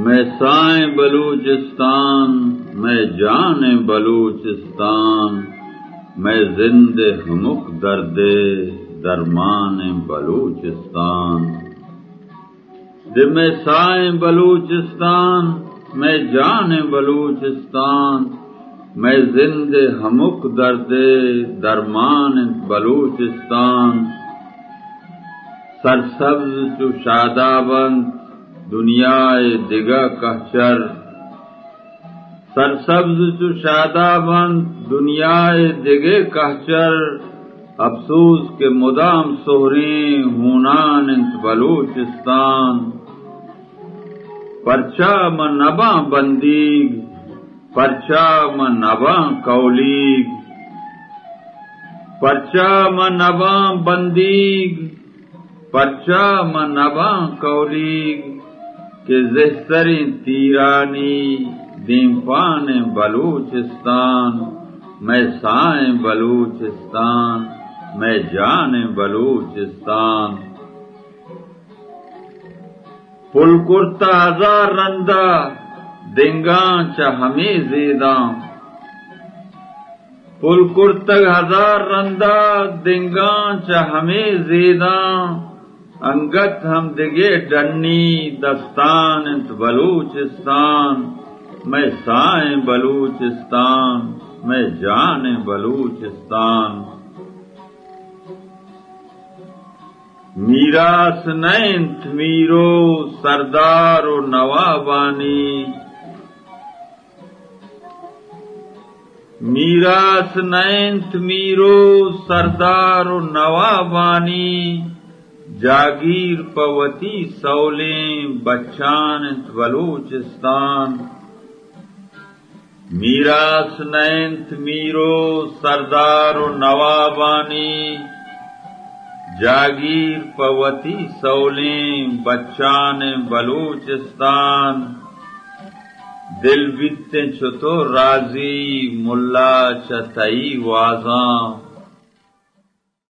مئے ساہیں بلوچستان، مئے جانیں بلوچستان، مئے زند ءِ ہمک درد ءِ درمانیں بلوچستان۔ دے مئے ساہیں بلوچستان، مئے جانیں بلوچستان، مئے زند ءِ ہمک درد ءِ درمان انت بلوچستان۔ سرسبز چو شاداب انت دنیا ءِ دگہ کہچر۔ سرسبز چو شاداب انت دنیا ءِ دگہ کہچر، اپسوز کہ مدام سہریں ہونان انت بلوچستان۔ پرچا من نباں بندیگ، پرچا من نباں کولیگ، پرچا من نباں بندیگ، پرچا من نباں کولیگ، کہ زہتریں تیرانی دیمپانیں بلوچستان، مئے ساہیں بلوچستان، مئے جانیں بلوچستان۔ پل کرتہ ہزار رندا دنگاں چہ ہمے زیداں، پل کرتگ ہزار رندا دنگاں چہ ہمے زیداں، انگت ہم دگہ ڈنی دستان انت بلوچستان، مئے ساہیں بلوچستان، مئے جانیں بلوچستان۔ میراث نہ انت میر و سردار و نوابانی، میراث نہ انت میر و سردار و نوابانی، جاگیر پہ وتی سولیں بچان انت بلوچستان۔ میراث نہ انت میر و سردار و نوابانی، جاگیر پہ وتی سولیں بچانیں بلوچستان۔ دل بیتیں چتو راضی ملا چہ تئی وازاں،